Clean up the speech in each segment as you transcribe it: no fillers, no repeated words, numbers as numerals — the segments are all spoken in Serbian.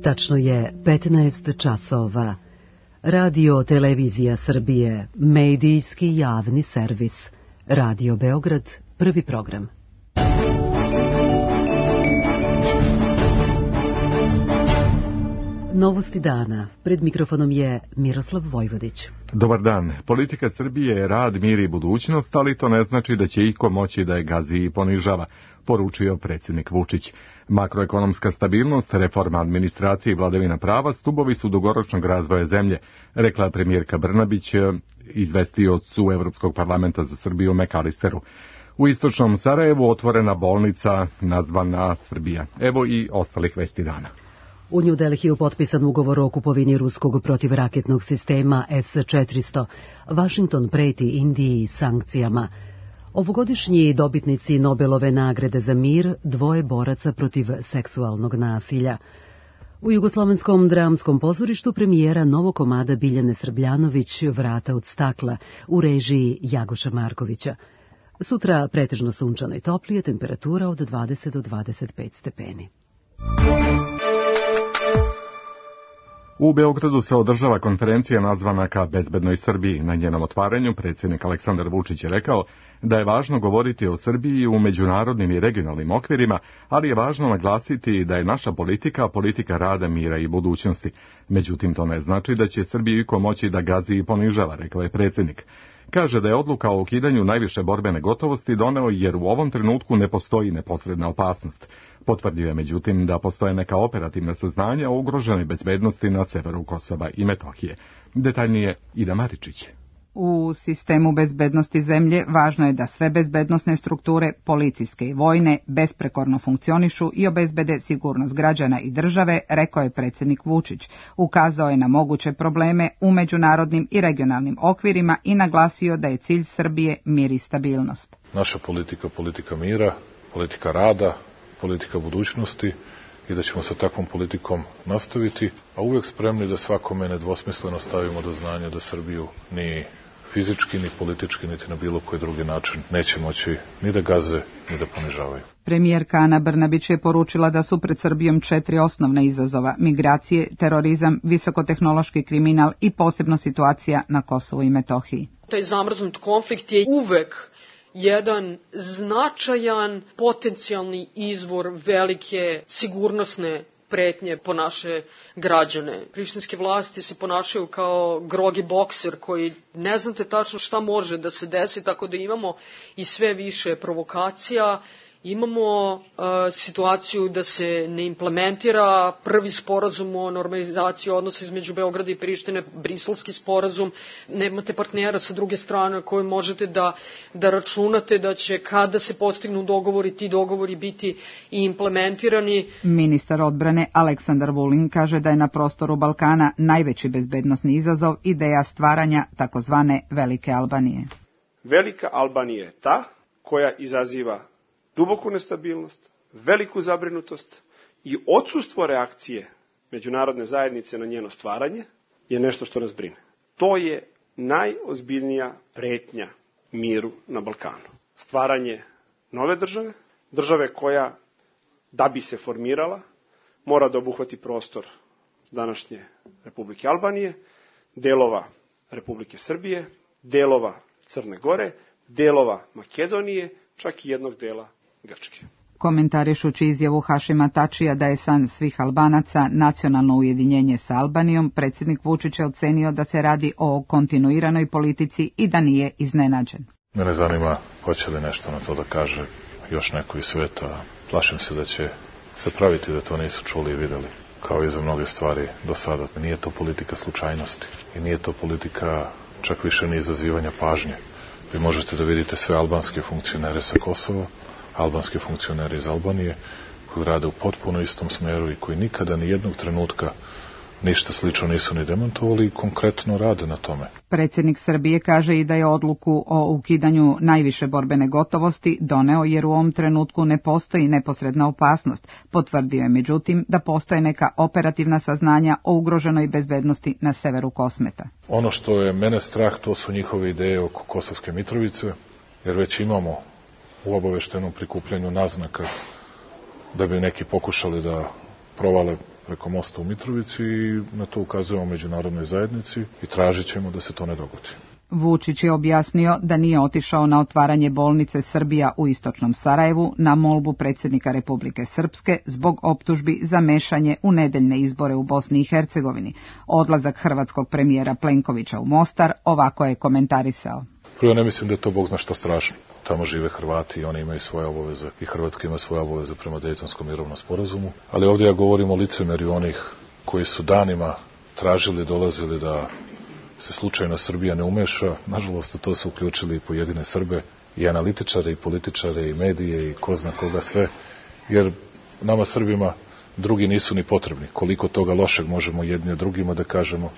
Tačno je 15 časova. Radio Televizija Srbije, medijski javni servis. Radio Beograd, prvi program. Novosti dana. Pred mikrofonom je Miroslav Vojvodić. Dobar dan. Politika Srbije je rad, mir i budućnost, ali to ne znači da će iko moći da je gazi i ponižava, poručio predsjednik Vučić. Makroekonomska stabilnost, reforma administracije i vladavina prava stubovi su dugoročnog razvoja zemlje, rekla premijerka Brnabić izvestiocu Evropskog parlamenta za Srbiju McAllisteru. U istočnom Sarajevu otvorena bolnica nazvana Srbija. Evo i ostalih vesti dana. U New Delhiju potpisan ugovor o kupovini ruskog protivraketnog sistema S-400. Washington preti Indiji sankcijama. Ovogodišnji dobitnici Nobelove nagrade za mir, dvoje boraca protiv seksualnog nasilja. U Jugoslovenskom dramskom pozorištu premijera novog komada Biljane Srbljanović Vrata od stakla u režiji Jagoša Markovića. Sutra pretežno sunčano i toplije, temperatura od 20 do 25 stepeni. U Beogradu se održava konferencija nazvana ka bezbednoj Srbiji. Na njenom otvaranju predsjednik Aleksandar Vučić je rekao da je važno govoriti o Srbiji u međunarodnim i regionalnim okvirima, ali je važno naglasiti da je naša politika rada, mira i budućnosti. Međutim, to ne znači da će Srbiju iko moći da gazi i ponižava, rekao je predsjednik. Kaže da je odluka o ukidanju najviše borbene gotovosti doneo jer u ovom trenutku ne postoji neposredna opasnost. Potvrdio je međutim da postoje neka operativna saznanja o ugroženoj bezbednosti na severu Kosova i Metohije. Detaljnije Ida Maričić. U sistemu bezbednosti zemlje važno je da sve bezbednosne strukture, policijske i vojne, besprekorno funkcionišu i obezbede sigurnost građana i države, rekao je predsjednik Vučić. Ukazao je na moguće probleme u međunarodnim i regionalnim okvirima i naglasio da je cilj Srbije mir i stabilnost. Naša politika mira, politika rada, politika budućnosti i da ćemo sa takvom politikom nastaviti, a uvek spremni da svakome nedvosmisleno stavimo do znanja da Srbiju ni fizički, ni politički, niti na bilo koji drugi način neće moći ni da gaze, ni da ponižavaju. Premijerka Ana Brnabić je poručila da su pred Srbijom 4 osnovna izazova: migracije, terorizam, visokotehnološki kriminal i posebno situacija na Kosovu i Metohiji. Taj zamrznut konflikt je uvek jedan značajan potencijalni izvor velike sigurnosne pretnje po naše građane. Prištinske vlasti se ponašaju kao grogi bokser koji ne znate tačno šta može da se desi, tako da imamo i sve više provokacija. Imamo situaciju da se ne implementira prvi sporazum o normalizaciji odnosa između Beograda i Prištine, briselski sporazum. Nemate partnera sa druge strane koji možete da računate da će kada se postignu dogovori, ti dogovori biti i implementirani. Ministar odbrane Aleksandar Vulin kaže da je na prostoru Balkana najveći bezbednosni izazov ideja stvaranja takozvane Velike Albanije. Velika Albanija je ta koja izaziva duboku nestabilnost, veliku zabrinutost i odsustvo reakcije međunarodne zajednice na njeno stvaranje je nešto što nas brine. To je najozbiljnija pretnja miru na Balkanu. Stvaranje nove države koja, da bi se formirala, mora da obuhvati prostor današnje Republike Albanije, delova Republike Srbije, delova Crne Gore, delova Makedonije, čak i jednog dela Grčke. Komentarišući izjavu Hašima Tačija da je san svih Albanaca nacionalno ujedinjenje sa Albanijom, predsjednik Vučić je ocenio da se radi o kontinuiranoj politici i da nije iznenađen. Mene zanima hoće li nešto na to da kaže još neko iz sveta. Plašim se da će se praviti da to nisu čuli i videli, kao i za mnoge stvari do sada. Nije to politika slučajnosti i nije to politika čak više ni izazivanja pažnje. Vi možete da vidite sve albanske funkcionere sa Kosova, albanske funkcionere iz Albanije, koji rade u potpuno istom smeru i koji nikada ni jednog trenutka ništa slično nisu ni demantovali i konkretno rade na tome. Predsjednik Srbije kaže i da je odluku o ukidanju najviše borbene gotovosti doneo jer u ovom trenutku ne postoji neposredna opasnost. Potvrdio je međutim da postoje neka operativna saznanja o ugroženoj bezbednosti na severu Kosmeta. Ono što je mene strah, to su njihove ideje oko Kosovske Mitrovice, jer već imamo u obaveštenom prikupljanju naznaka da bi neki pokušali da provale preko mosta u Mitrovici i na to ukazujemo međunarodnoj zajednici i tražit ćemo da se to ne dogodi. Vučić je objasnio da nije otišao na otvaranje bolnice Srbija u istočnom Sarajevu na molbu predsjednika Republike Srpske zbog optužbi za mešanje u nedeljne izbore u Bosni i Hercegovini. Odlazak hrvatskog premijera Plenkovića u Mostar ovako je komentarisao. Prvo, ne mislim da je to Bog zna šta strašno. Tamo žive Hrvati i oni imaju svoje obaveze i Hrvatska ima svoje obaveze prema Dejtonskom mirovnom sporazumu. Ali ovdje ja govorim o licemerju onih koji su danima tražili, dolazili da se slučajno Srbija ne umeša. Nažalost, to su uključili i pojedine Srbe, i analitičare, i političare, i medije, i ko zna koga sve. Jer nama Srbima drugi nisu ni potrebni. Koliko toga lošeg možemo jedni od drugima da kažemo.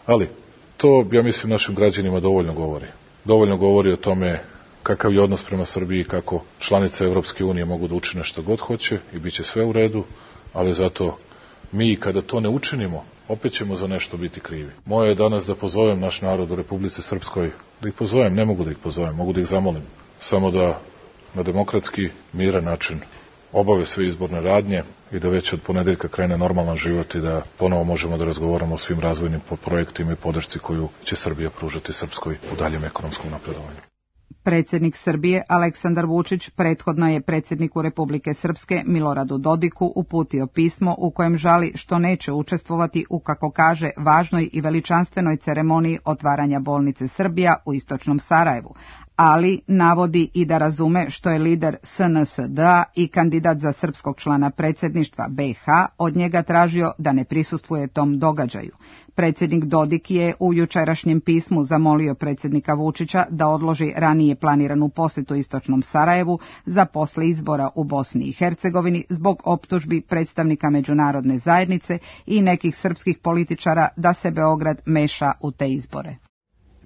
Ali to, ja mislim, našim građanima dovoljno govori. Dovoljno govori o tome kakav je odnos prema Srbiji, kako članice Evropske unije mogu da učine što god hoće i bit će sve u redu, ali zato mi kada to ne učinimo, opet ćemo za nešto biti krivi. Moje je danas da pozovem naš narod u Republici Srpskoj, da ih pozovem, ne mogu da ih pozovem, mogu da ih zamolim, samo da na demokratski, miran način obave sve izborne radnje i da već od ponedeljka krene normalan život i da ponovo možemo da razgovaramo o svim razvojnim projektima i podršci koju će Srbija pružati Srpskoj u daljem ekonomskom napredovanju. Predsjednik Srbije Aleksandar Vučić prethodno je predsjedniku Republike Srpske Miloradu Dodiku uputio pismo u kojem žali što neće učestvovati u, kako kaže, važnoj i veličanstvenoj ceremoniji otvaranja bolnice Srbija u istočnom Sarajevu, ali navodi i da razume što je lider SNSD-a i kandidat za srpskog člana predsjedništva BiH od njega tražio da ne prisustvuje tom događaju. Predsjednik Dodik je u jučerašnjem pismu zamolio predsjednika Vučića da odloži ranije planiranu posjetu istočnom Sarajevu za posle izbora u Bosni i Hercegovini zbog optužbi predstavnika međunarodne zajednice i nekih srpskih političara da se Beograd meša u te izbore.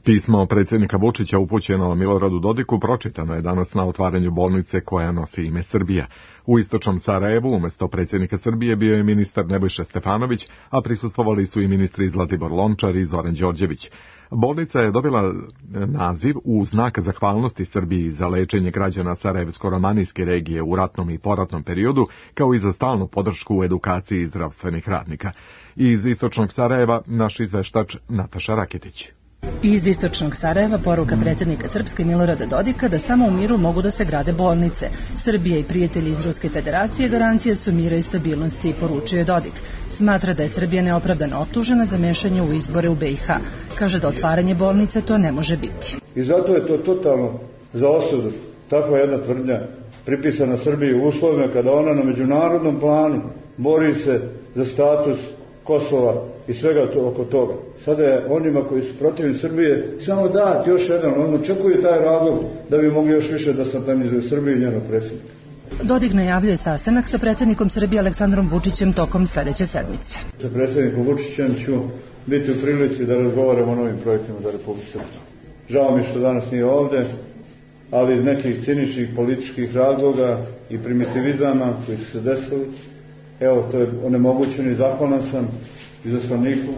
Pismo predsjednika Vučića upućeno Miloradu Dodiku pročitano je danas na otvaranju bolnice koja nosi ime Srbija. U istočnom Sarajevu umjesto predsjednika Srbije bio je ministar Nebojša Stefanović, a prisustvovali su i ministri Zlatibor Lončar i Zoran Đorđević. Bolnica je dobila naziv u znak zahvalnosti Srbiji za lečenje građana Sarajevsko-romanijske regije u ratnom i poratnom periodu, kao i za stalnu podršku u edukaciji zdravstvenih radnika. Iz istočnog Sarajeva naš izveštač Nataša Raketić. Iz istočnog Sarajeva poruka predsjednika Srpske Milorada Dodika da samo u miru mogu da se grade bolnice. Srbija i prijatelji iz Ruske federacije garancije su mira i stabilnosti, poručuje Dodik. Smatra da je Srbija neopravdano optužena za mešanje u izbore u BiH. Kaže da otvaranje bolnice to ne može biti. I zato je to totalno za osudu. Takva jedna tvrdnja pripisana Srbiji u uslovima kada ona na međunarodnom planu bori se za status Kosova i svega oko toga. Sada je onima koji su protivni Srbije samo dati još jedan, on očekuju taj razlog da bi mogli još više da satanizuju Srbiju i njenog predsjednika. Dodik najavljuje sastanak sa predsjednikom Srbije Aleksandrom Vučićem tokom sljedeće sedmice. Sa predsjednikom Vučićem ću biti u prilici da razgovaramo o novim projektima za Republiku Srpsku. Žao mi što danas nije ovdje, ali iz nekih ciničnih političkih razloga i primitivizama koji su se desili, evo, to je onemogućeno i zahvalan sam izaslaniku,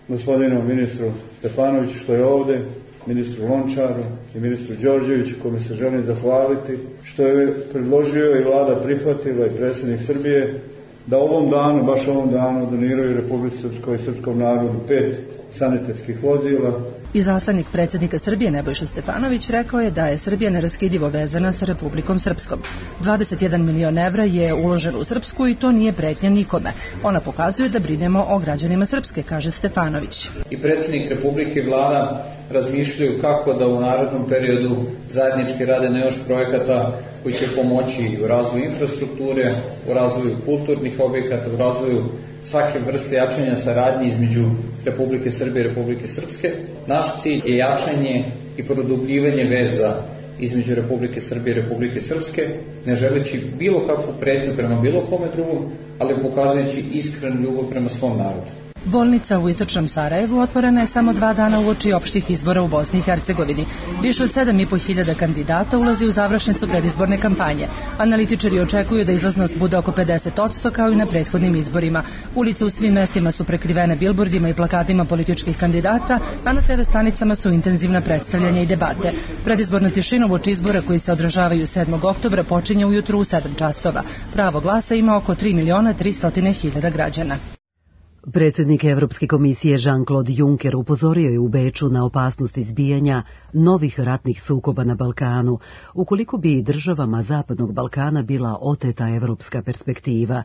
gospodinu ministru Stefanoviću što je ovdje, ministru Lončaru i ministru Đorđeviću, kome se želim zahvaliti, što je predložio i vlada prihvatila i predsjednik Srbije da ovom danu, baš ovom danu, doniraju Republici Srpskoj i srpskom narodu 5 sanitetskih vozila. Izaslanik predsjednika Srbije Nebojša Stefanović rekao je da je Srbija neraskidivo vezana sa Republikom Srpskom. 21 milion evra je uloženo u Srpsku i to nije pretnja nikome. Ona pokazuje da brinemo o građanima Srpske, kaže Stefanović. I predsjednik Republike i vlada razmišljaju kako da u narednom periodu zajednički rade na još projekata koji će pomoći u razvoju infrastrukture, u razvoju kulturnih objekata, u razvoju svake vrste jačanja saradnje između Republike Srbije i Republike Srpske. Naš cilj je jačanje i produbljivanje veza između Republike Srbije i Republike Srpske, ne želeći bilo kakvu pretnju prema bilo kome drugom, ali pokazujući iskrenu ljubav prema svom narodu. Bolnica u istočnom Sarajevu otvorena je samo 2 dana uoči opštih izbora u Bosni i Hercegovini. Više od 7.500 kandidata ulazi u završnicu predizborne kampanje. Analitičari očekuju da izlaznost bude oko 50% kao i na prethodnim izborima. Ulice u svim mestima su prekrivene bilbordima i plakatima političkih kandidata, a na TV stanicama su intenzivna predstavljanja i debate. Predizborna tišina uoči izbora koji se održavaju 7. oktobra počinje ujutru u 7 časova. Pravo glasa ima oko 3.300.000 građana. Predsjednik Evropske komisije Jean-Claude Juncker upozorio je u Beču na opasnost izbijanja novih ratnih sukoba na Balkanu, ukoliko bi državama Zapadnog Balkana bila oteta evropska perspektiva.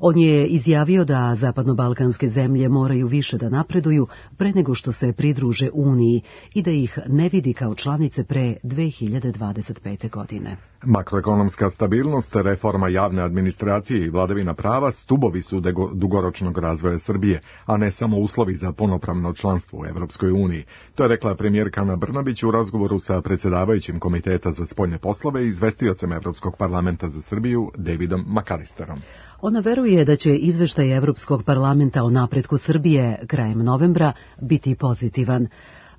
On je izjavio da zapadnobalkanske zemlje moraju više da napreduju pre nego što se pridruže Uniji i da ih ne vidi kao članice pre 2025. godine. Makroekonomska stabilnost, reforma javne administracije i vladavina prava stubovi su dugoročnog razvoja Srbije, a ne samo uslovi za punopravno članstvo u Evropskoj uniji. To je rekla premijerka Ana Brnabić u razgovoru sa predsjedavajućim Komiteta za spoljne poslove i izvestiocem Evropskog parlamenta za Srbiju Davidom McAllisterom. Ona veruje da će izveštaj Evropskog parlamenta o napretku Srbije krajem novembra biti pozitivan.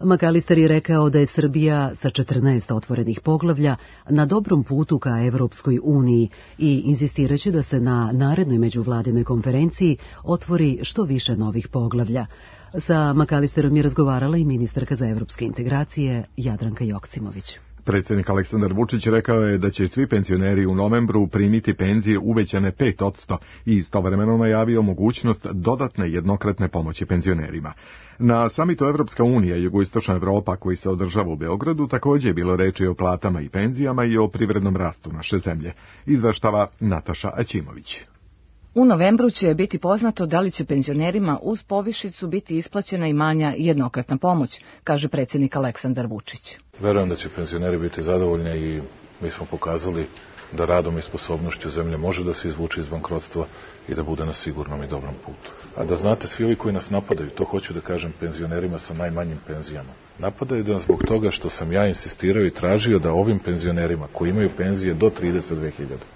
McAllister je rekao da je Srbija sa 14 otvorenih poglavlja na dobrom putu ka Evropskoj uniji i insistiraće da se na narednoj međuvladinoj konferenciji otvori što više novih poglavlja. Sa McAllisterom je razgovarala i ministarka za evropske integracije Jadranka Joksimović. Predsjednik Aleksandar Vučić rekao je da će svi penzioneri u novembru primiti penzije uvećane 5% i istovremeno najavio mogućnost dodatne jednokratne pomoći penzionerima. Na samitu Evropska unija i Jugoistočna Evropa koji se održava u Beogradu također je bilo reči o platama i penzijama i o privrednom rastu naše zemlje. Izveštava Nataša Aćimović. U novembru će biti poznato da li će penzionerima uz povišicu biti isplaćena i manja jednokratna pomoć, kaže predsjednik Aleksandar Vučić. Verujem da će penzioneri biti zadovoljni i mi smo pokazali da radom i sposobnošću zemlje može da se izvuče iz bankrotstva i da bude na sigurnom i dobrom putu. A da znate, svi ovi koji nas napadaju, to hoću da kažem penzionerima sa najmanjim penzijama, napadaju nas zbog toga što sam ja insistirao i tražio da ovim penzionerima koji imaju penzije do 32.000,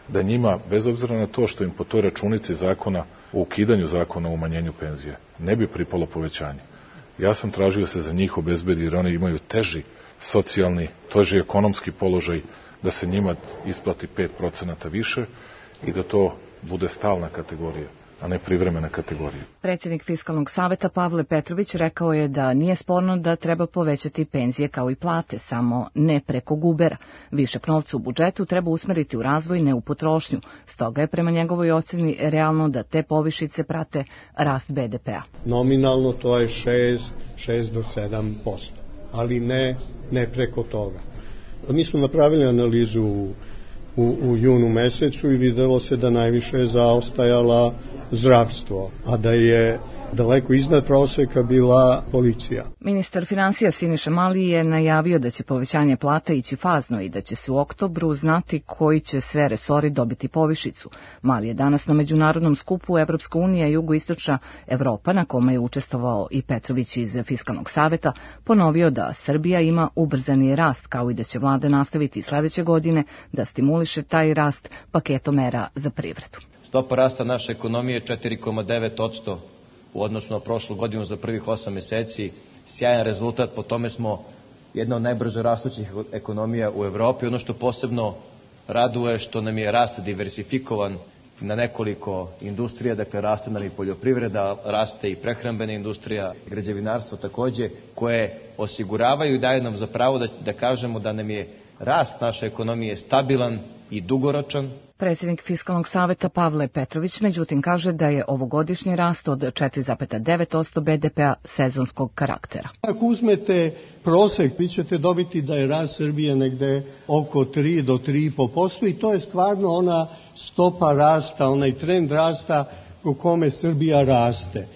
da njima, bez obzira na to što im po toj računici zakona o ukidanju zakona o umanjenju penzije, ne bi pripalo povećanje. Ja sam tražio se za njih obezbedi jer oni imaju teži socijalni, teži ekonomski položaj, da se njima isplati 5% više i da to bude stalna kategorija, a ne privremena kategorija. Predsjednik Fiskalnog saveta Pavle Petrović rekao je da nije sporno da treba povećati penzije kao i plate, samo ne preko gubera. Višak novca u budžetu treba usmeriti u razvoj, ne u potrošnju. Stoga je prema njegovoj ocjeni realno da te povišice prate rast BDP-a. Nominalno to je 6 do 7%, ali ne preko toga. Mi smo napravili analizu u junu mesecu i videlo se da najviše je zaostajala zdravstvo, a da je daleko iznad proseka bila policija. Ministar finansija Siniša Mali je najavio da će povećanje plata ići fazno i da će se u oktobru znati koji će sve resori dobiti povišicu. Mali je danas na međunarodnom skupu Evropska unija i Jugoistočna Evropa, na kome je učestvovao i Petrović iz Fiskalnog saveta, ponovio da Srbija ima ubrzani rast, kao i da će vlada nastaviti sledeće godine da stimuliše taj rast paketom mera za privredu. Stopa rasta naše ekonomije je 4,9% u odnosu na prošlu godinu za prvih 8 meseci. Sjajan rezultat, po tome smo jedna od najbrže rastućih ekonomija u Evropi. Ono što posebno raduje što nam je rast diversifikovan na nekoliko industrija, dakle raste nam i poljoprivreda, raste i prehrambena industrija, građevinarstvo takođe, koje osiguravaju i daju nam za pravo da kažemo da nam je rast naše ekonomije stabilan i dugoročan. Predsjednik Fiskalnog saveta Pavle Petrović međutim kaže da je ovogodišnji rast od 4,9% BDP-a sezonskog karaktera. Ako uzmete prosek, vi ćete dobiti da je rast Srbije negde oko 3 do 3,5% i to je stvarno ona stopa rasta, onaj trend rasta u kome Srbija raste.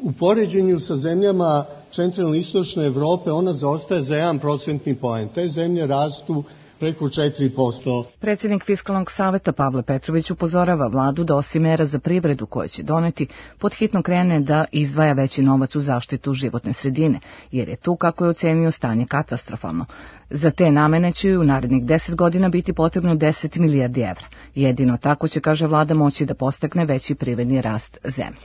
U poređenju sa zemljama centralne i istočne Evrope ona zaostaje za 1% poen. Te zemlje rastu preko 4%. Predsjednik Fiskalnog saveta Pavle Petrović upozorava vladu da osim mera za privredu koje će doneti, podhitno krene da izdvaja veći novac u zaštitu životne sredine, jer je tu, kako je ocenio, stanje katastrofalno. Za te namene će u narednih 10 godina biti potrebno 10 milijardi evra. Jedino tako će, kaže vlada, moći da postakne veći privredni rast zemlje.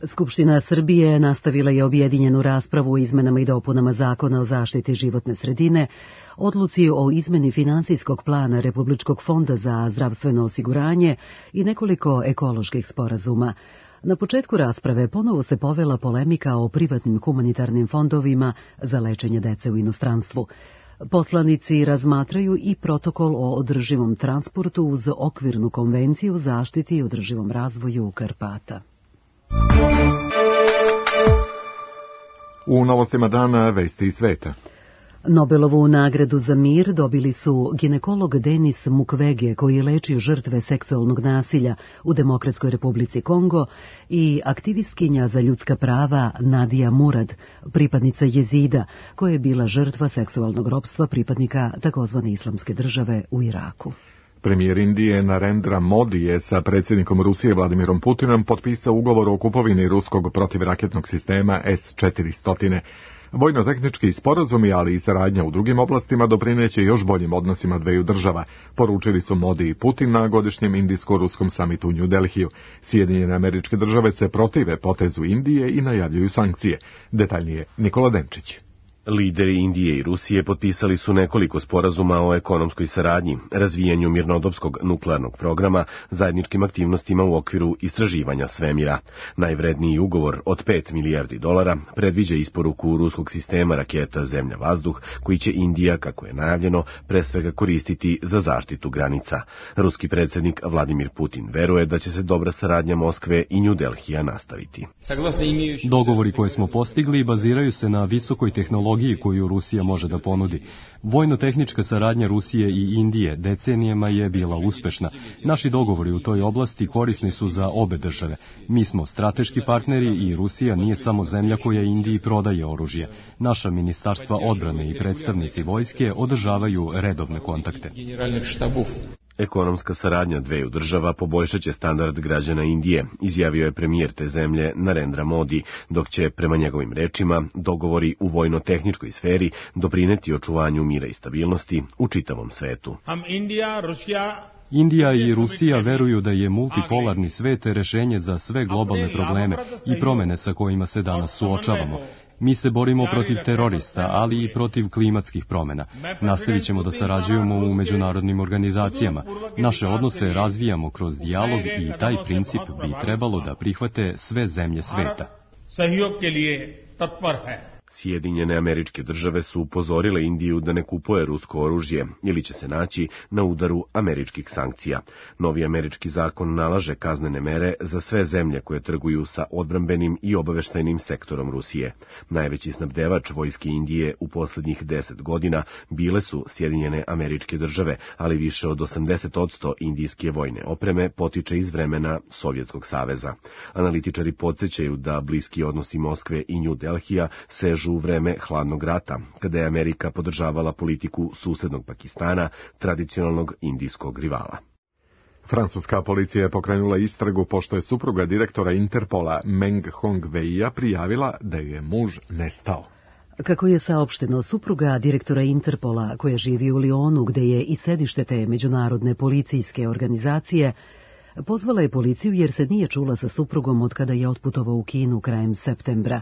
Skupština Srbije nastavila je objedinjenu raspravu o izmenama i dopunama Zakona o zaštiti životne sredine, odluci o izmeni finansijskog plana Republičkog fonda za zdravstveno osiguranje i nekoliko ekoloških sporazuma. Na početku rasprave ponovo se povela polemika o privatnim humanitarnim fondovima za lečenje dece u inostranstvu. Poslanici razmatraju i protokol o održivom transportu uz okvirnu konvenciju o zaštiti i održivom razvoju Karpata. U novostima dana vesti iz sveta. Nobelovu nagradu za mir dobili su ginekolog Denis Mukwege, koji leči žrtve seksualnog nasilja u Demokratskoj Republici Kongo, i aktivistkinja za ljudska prava Nadija Murad, pripadnica Jezida, koja je bila žrtva seksualnog ropstva pripadnika takozvane Islamske države u Iraku. Premijer Indije Narendra Modi je sa predsjednikom Rusije Vladimirom Putinom potpisao ugovor o kupovini ruskog protivraketnog sistema S-400. Vojno-tehnički sporazumi, ali i saradnja u drugim oblastima doprineće još boljim odnosima dveju država, poručili su Modi i Putin na godišnjem indijsko-ruskom samitu u New Delhiju. Sjedinjene Američke Države se protive potezu Indije i najavljuju sankcije. Detaljnije Nikola Denčić. Lideri Indije i Rusije potpisali su nekoliko sporazuma o ekonomskoj saradnji, razvijanju mirnodopskog nuklearnog programa, zajedničkim aktivnostima u okviru istraživanja svemira. Najvredniji ugovor od $5 milijardi predviđa isporuku ruskog sistema raketa Zemlja-vazduh, koji će Indija, kako je najavljeno, pre svega koristiti za zaštitu granica. Ruski predsjednik Vladimir Putin veruje da će se dobra saradnja Moskve i New Delhija nastaviti. Dogovori koje smo postigli baziraju se na visokoj tehnologiji koju Rusija može da ponudi. Vojno-tehnička saradnja Rusije i Indije decenijama je bila uspešna. Naši dogovori u toj oblasti korisni su za obe države. Mi smo strateški partneri i Rusija nije samo zemlja koja Indiji prodaje oružje. Naša ministarstva odbrane i predstavnici vojske održavaju redovne kontakte. Ekonomska saradnja dveju država poboljšat će standard građana Indije, izjavio je premijer te zemlje Narendra Modi, dok će, prema njegovim rečima, dogovori u vojno-tehničkoj sferi doprineti očuvanju mira i stabilnosti u čitavom svetu. Indija i Rusija veruju da je multipolarni svet rešenje za sve globalne probleme i promene sa kojima se danas suočavamo. Mi se borimo protiv terorista, ali i protiv klimatskih promena. Nastavit ćemo da sarađujemo u međunarodnim organizacijama. Naše odnose razvijamo kroz dijalog i taj princip bi trebalo da prihvate sve zemlje sveta. Sjedinjene Američke Države su upozorile Indiju da ne kupuje rusko oružje ili će se naći na udaru američkih sankcija. Novi američki zakon nalaže kaznene mere za sve zemlje koje trguju sa odbrambenim i obaveštajnim sektorom Rusije. Najveći snabdevač vojske Indije u posljednjih 10 godina bile su Sjedinjene Američke Države, ali više od 80% indijske vojne opreme potiče iz vremena Sovjetskog saveza. Analitičari podsjećaju da bliski odnosi Moskve i New Delhija sežu u vreme hladnog rata, kada je Amerika podržavala politiku susednog Pakistana, tradicionalnog indijskog rivala. Francuska policija je pokrenula istragu pošto je supruga direktora Interpola Meng Hongweia prijavila da je muž nestao. Kako je saopšteno, supruga direktora Interpola, koja živi u Lionu, gde je i sedište te međunarodne policijske organizacije, pozvala je policiju jer se nije čula sa suprugom od kada je otputovao u Kinu krajem septembra.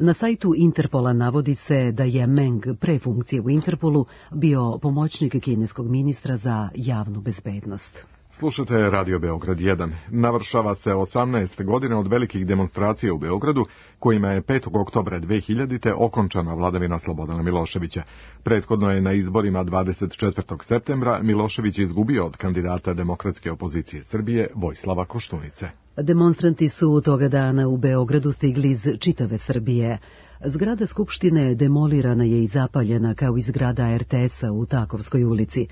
Na sajtu Interpola navodi se da je Meng pre funkcije u Interpolu bio pomoćnik kineskog ministra za javnu bezbednost. Slušate Radio Beograd 1. Navršava se 18 godina od velikih demonstracija u Beogradu, kojima je 5. oktobra 2000. okončana vladavina Slobodana Miloševića. Prethodno je na izborima 24. septembra Milošević izgubio od kandidata demokratske opozicije Srbije Vojislava Koštunice. Demonstranti su toga dana u Beogradu stigli iz čitave Srbije. Zgrada Skupštine demolirana je i zapaljena kao i zgrada RTS-a u Takovskoj ulici.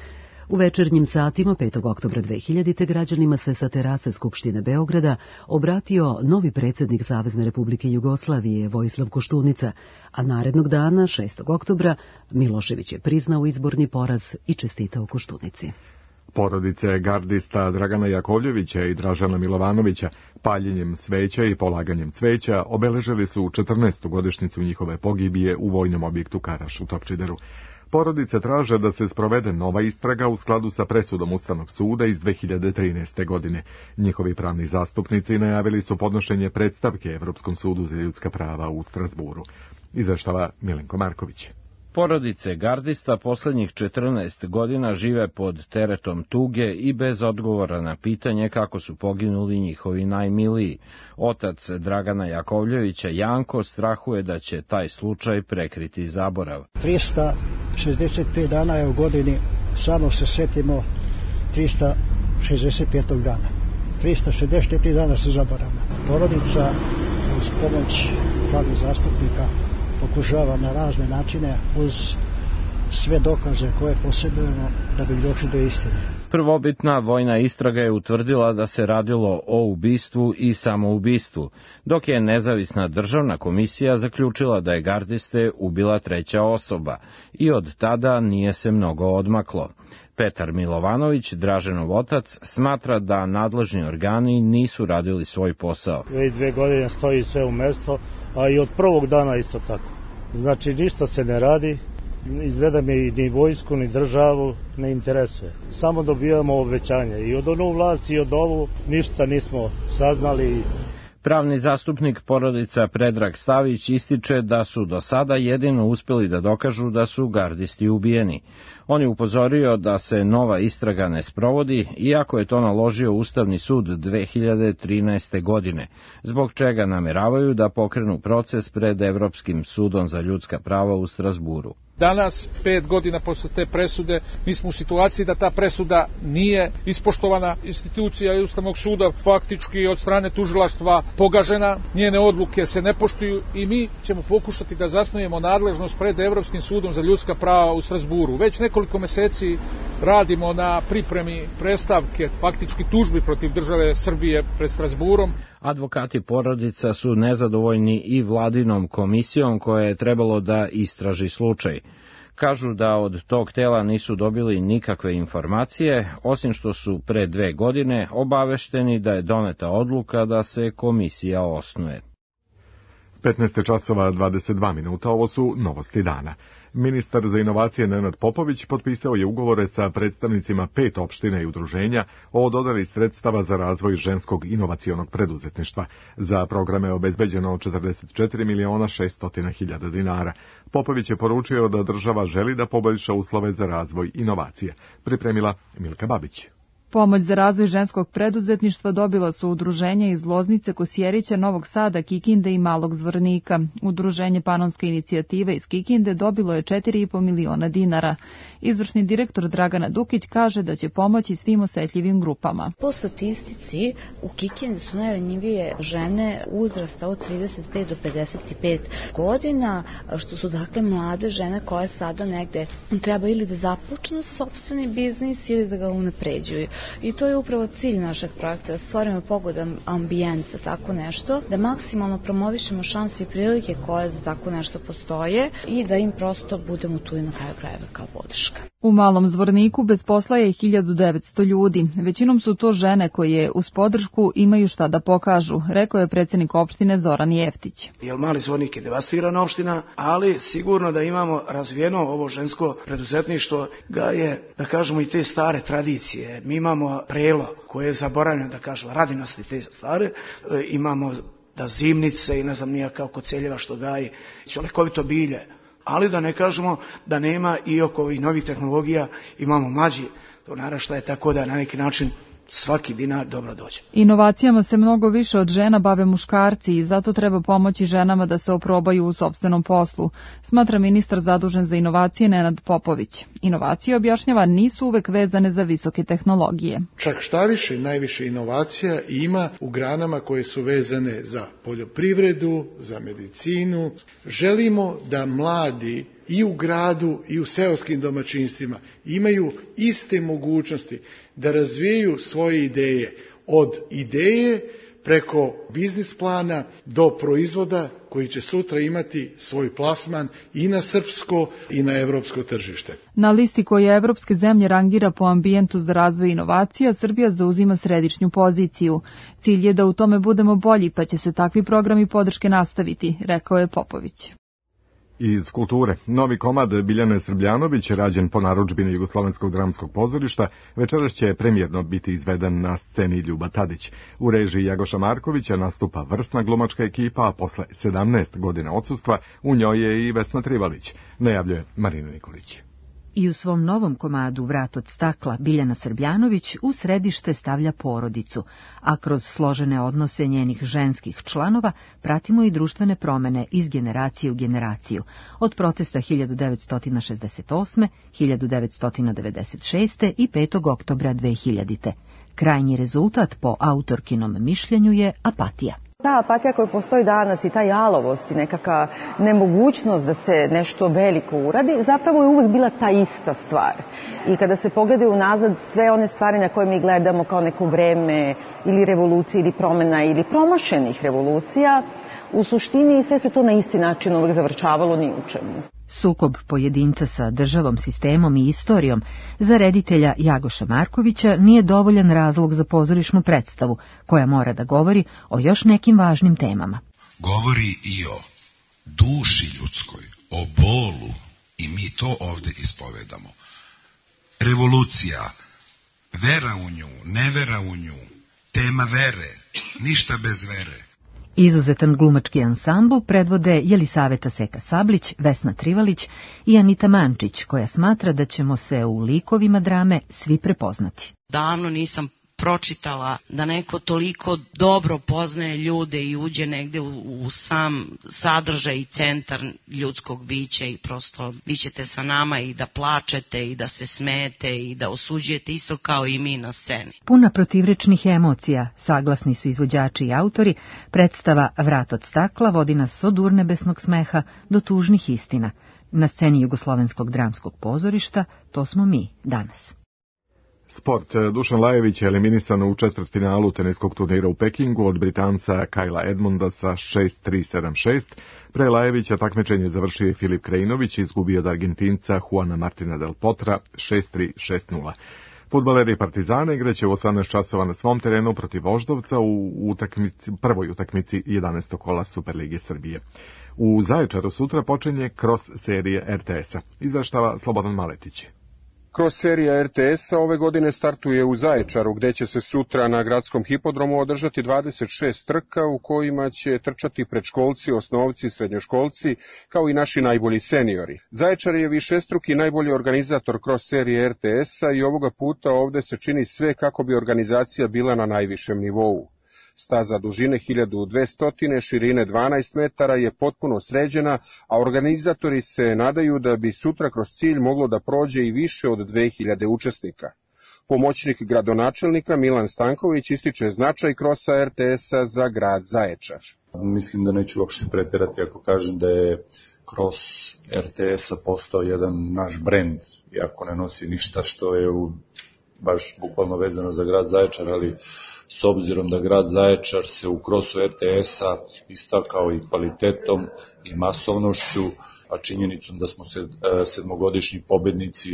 U večernjim satima 5. oktobra 2000. građanima se sa terase Skupštine Beograda obratio novi predsjednik Savezne Republike Jugoslavije Vojislav Koštunica, a narednog dana, 6. oktobra, Milošević je priznao izborni poraz i čestitao Koštunici. Porodice gardista Dragana Jakovljevića i Dražana Milovanovića paljenjem sveća i polaganjem cveća obeležili su 14. godišnjicu njihove pogibije u vojnom objektu Karaš u Topčideru. Porodice traže da se sprovede nova istraga u skladu sa presudom Ustavnog suda iz 2013. godine. Njihovi pravni zastupnici najavili su podnošenje predstavke Evropskom sudu za ljudska prava u Strasburu. Izveštava Milenko Marković. Porodice gardista poslednjih 14 godina žive pod teretom tuge i bez odgovora na pitanje kako su poginuli njihovi najmiliji. Otac Dragana Jakovljevića, Janko, strahuje da će taj slučaj prekriti zaborav. 365 dana je u godini, samo se setimo 365. dana. 364 dana se zaboravlja. Porodica uz pomoć pravnih zastupnika pokušava na razne načine uz sve dokaze koje posjedujemo da bi došli do istine. Prvobitna vojna istraga je utvrdila da se radilo o ubistvu i samoubistvu, dok je nezavisna državna komisija zaključila da je gardiste ubila treća osoba i od tada nije se mnogo odmaklo. Petar Milovanović, Draženov otac, smatra da nadležni organi nisu radili svoj posao. Već 2 godine stoji sve u mesto, a i od prvog dana isto tako. Znači ništa se ne radi, izgleda mi ni vojsku ni državu ne interesuje. Samo dobijamo obećanja i od onu vlast i od ovu ništa nismo saznali. Pravni zastupnik porodica Predrag Stavić ističe da su do sada jedino uspjeli da dokažu da su gardisti ubijeni. On je upozorio da se nova istraga ne sprovodi, iako je to naložio Ustavni sud 2013. godine, zbog čega nameravaju da pokrenu proces pred Evropskim sudom za ljudska prava u Strasburu. Danas, 5 godina posle te presude, mi smo u situaciji da ta presuda nije ispoštovana. Institucija Ustavnog suda faktički od strane tužilaštva pogažena, njene odluke se ne poštuju i mi ćemo pokušati da zasnujemo nadležnost pred Evropskim sudom za ljudska prava u Strasburu. Već nekoliko meseci radimo na pripremi predstavke, faktički tužbi protiv države Srbije pred Strasburom. Advokati porodica su nezadovoljni i vladinom komisijom koja je trebalo da istraži slučaj. Kažu da od tog tela nisu dobili nikakve informacije, osim što su pre 2 godine obavešteni da je doneta odluka da se komisija osnuje. 15 časova 22 minuta, ovo su novosti dana. Ministar za inovacije Nenad Popović potpisao je ugovore sa predstavnicima 5 opština i udruženja o dodeli sredstava za razvoj ženskog inovacionog preduzetništva. Za programe je obezbeđeno 44.600.000 dinara. Popović je poručio da država želi da poboljša uslove za razvoj inovacije. Pripremila Milka Babić. Pomoć za razvoj ženskog preduzetništva dobila su udruženja iz Loznice, Kosjerića, Novog Sada, Kikinde i Malog Zvornika. Udruženje Panonska inicijativa iz Kikinde dobilo je 4,5 miliona dinara. Izvršni direktor Dragana Dukić kaže da će pomoći svim osetljivim grupama. Po statistici u Kikindi su najranjivije žene uzrasta od 35 do 55 godina, što su dakle mlade žene koje sada negde treba ili da započnu sopstveni biznis ili da ga unapređuju. I to je upravo cilj našeg projekta, da stvorimo pogodan ambijent za tako nešto, da maksimalno promovišemo šanse i prilike koje za tako nešto postoje i da im prosto budemo tu i na kraju krajeva kao podrška. U Malom Zvorniku bez posla je 1900 ljudi. Većinom su to žene koje uz podršku imaju šta da pokažu, rekao je predsjednik opštine Zoran Jeftić. Jer Mali Zvornik je devastirana opština, ali sigurno da imamo razvijeno ovo žensko preduzetništvo, ga je, da kažemo, i te stare tradicije. Mi imamo prelo koje je zaboravljeno, da kažemo, radinosti te stare, imamo da zimnice i ne znam nija kao koceljeva što gaji, čolekovito bilje. Ali da ne kažemo da nema i oko ovih novih tehnologija, imamo mlađi to naraštaje, tako da na neki način svaki dinar dobro dođe. Inovacijama se mnogo više od žena bave muškarci i zato treba pomoći ženama da se oprobaju u sopstvenom poslu, smatra ministar zadužen za inovacije Nenad Popović. Inovacije, objašnjava, nisu uvek vezane za visoke tehnologije. Čak šta više, najviše inovacija ima u granama koje su vezane za poljoprivredu, za medicinu. Želimo da mladi i u gradu i u seoskim domaćinstvima imaju iste mogućnosti da razvijaju svoje ideje, od ideje preko biznis plana do proizvoda koji će sutra imati svoj plasman i na srpsko i na evropsko tržište. Na listi koje evropske zemlje rangira po ambijentu za razvoj inovacija, Srbija zauzima središnju poziciju. Cilj je da u tome budemo bolji, pa će se takvi programi podrške nastaviti, rekao je Popović. Iz kulture, novi komad Biljane Srbljanović, rađen po narudžbini Jugoslovenskog dramskog pozorišta, večeras će premijerno biti izveden na sceni Ljuba Tadić. U režiji Jagoša Markovića nastupa vrsna glumačka ekipa, a posle 17 godina odsustva u njoj je i Vesna Trivalić, najavljuje Marina Nikolić. I u svom novom komadu Vrat od stakla Biljana Srbljanović u središte stavlja porodicu, a kroz složene odnose njenih ženskih članova pratimo i društvene promene iz generacije u generaciju, od protesta 1968., 1996. i 5. oktobra 2000. Krajnji rezultat po autorkinom mišljenju je apatija. Ta apatija koja postoji danas i ta jalovost i nekakva nemogućnost da se nešto veliko uradi, zapravo je uvek bila ta ista stvar. I kada se pogledaju unazad sve one stvari na koje mi gledamo kao neko vreme ili revolucije ili promena ili promašenih revolucija, u suštini sve se to na isti način uvek završavalo ni u čemu. Sukob pojedinca sa državom, sistemom i istorijom za reditelja Jagoša Markovića nije dovoljan razlog za pozorišnu predstavu, koja mora da govori o još nekim važnim temama. Govori i o duši ljudskoj, o bolu, i mi to ovde ispovedamo. Revolucija, vera u nju, nevera u nju, tema vere, ništa bez vere. Izuzetan glumački ansambl predvode Jelisaveta Seka Sablić, Vesna Trivalić i Anita Mančić, koja smatra da ćemo se u likovima drame svi prepoznati. Davno nisam pročitala da neko toliko dobro poznaje ljude i uđe negde u sam sadržaj i centar ljudskog bića i prosto vi ćete sa nama i da plačete i da se smejete i da osuđujete isto kao i mi na sceni. Puna protivrečnih emocija, saglasni su izvođači i autori, predstava Vrat od stakla vodi nas od urnebesnog smeha do tužnih istina. Na sceni Jugoslovenskog dramskog pozorišta to smo mi danas. Sport. Dušan Lajević je eliminisan u četvrtfinalu teniskog turnira u Pekingu od Britanca Kajla Edmunda sa 6-3-7-6. Pre Lajevića takmičenje završio Filip Krajinović i izgubio od Argentinca Juana Martina del Potra 6-3-6-0. Fudbaleri Partizana igraće u 18 časova na svom terenu protiv Voždovca u prvoj utakmici 11. kola Superlige Srbije. U Zaječaru sutra počinje cross serije RTS-a, izveštava Slobodan Maletić. Cross serija RTS-a ove godine startuje u Zaječaru, gde će se sutra na gradskom hipodromu održati 26 trka u kojima će trčati predškolci, osnovci, srednjoškolci, kao i naši najbolji seniori. Zaječar je višestruki najbolji organizator cross serije RTS-a i ovoga puta ovde se čini sve kako bi organizacija bila na najvišem nivou. Staza dužine 1200, širine 12 metara je potpuno sređena, a organizatori se nadaju da bi sutra kroz cilj moglo da prođe i više od 2000 učesnika. Pomoćnik gradonačelnika Milan Stanković ističe značaj krosa RTS-a za grad Zaječar. Mislim da neću uopšte preterati ako kažem da je kros RTS-a postao jedan naš brend, iako ne nosi ništa što je baš bukvalno vezano za grad Zaječar, ali s obzirom da grad Zaječar se u krosu RTS-a istakao i kvalitetom i masovnošću, a činjenicom da smo sedmogodišnji pobednici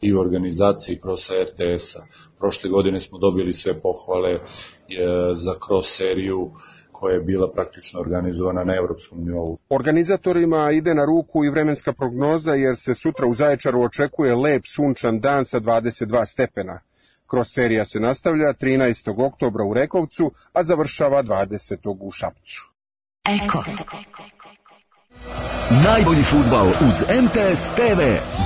i u organizaciji krosa RTS-a. Prošle godine smo dobili sve pohvale za kros seriju koja je bila praktično organizovana na evropskom nivou. Organizatorima ide na ruku i vremenska prognoza, jer se sutra u Zaječaru očekuje lep sunčan dan sa 22 stepena. Cross serija se nastavlja 13. oktobra u Rekovcu, a završava 20. u Šapcu. Eko. Najbolji fudbal uz MTS TV.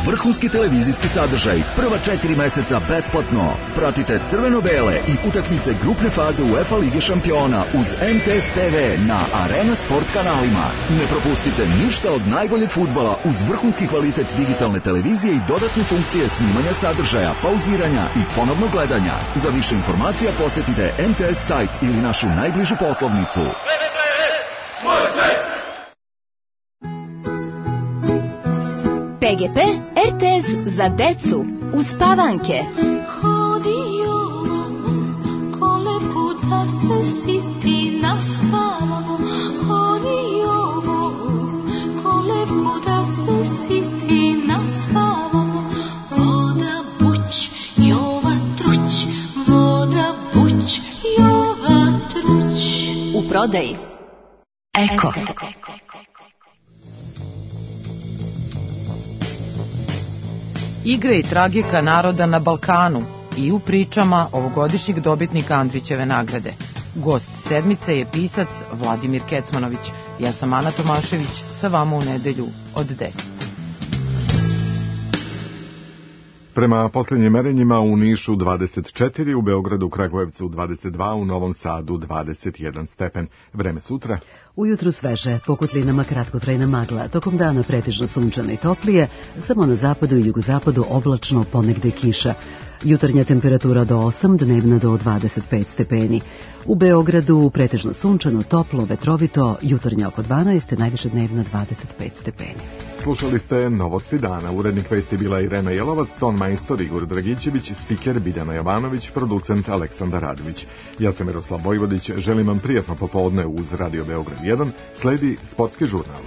Vrhunski televizijski sadržaj. Prva 4 meseca besplatno. Pratite crveno-bele i utakmice grupne faze UEFA Lige šampiona uz MTS TV na Arena Sport kanalima. Ne propustite ništa od najboljeg fudbala uz vrhunski kvalitet digitalne televizije i dodatne funkcije snimanja sadržaja, pauziranja i ponovnog gledanja. Za više informacija posetite MTS sajt ili našu najbližu poslovnicu. PGP RTS za decu uspavanke. Hodio kolevku da se siti naspavamo. Hodio kolevku da se siti naspavamo. Voda buć, Jova truć. Voda buć, Jova truć. U prodaji Eko. igre i tragika naroda na Balkanu i u pričama ovogodišnjeg dobitnika Andrićeve nagrade. Gost sedmice je pisac Vladimir Kecmanović. Ja sam Ana Tomašević, sa vama u nedelju od 10. Prema posljednjim merenjima u Nišu 24, u Beogradu, Kragujevcu 22, u Novom Sadu 21 stepen. Vreme sutra. Ujutru sveže, po kotlinama kratkotrajna magla, tokom dana pretežno sunčano i toplije, samo na zapadu i jugozapadu oblačno, ponegde kiša. Jutarnja temperatura do 8, dnevna do 25 stepeni. U Beogradu pretežno sunčano, toplo, vetrovito, jutarnja oko 12, najviše dnevna 25 stepeni. Slušali ste Novosti dana. Urednik vesti bila Irena Jelovac, ton majstor Igor Dragićević, spiker Biljana Jovanović, producent Aleksandar Radović. Ja sam Miroslav Vojvodić, želim vam prijatno popodne uz Radio Beograd 1, sledi sportski žurnal.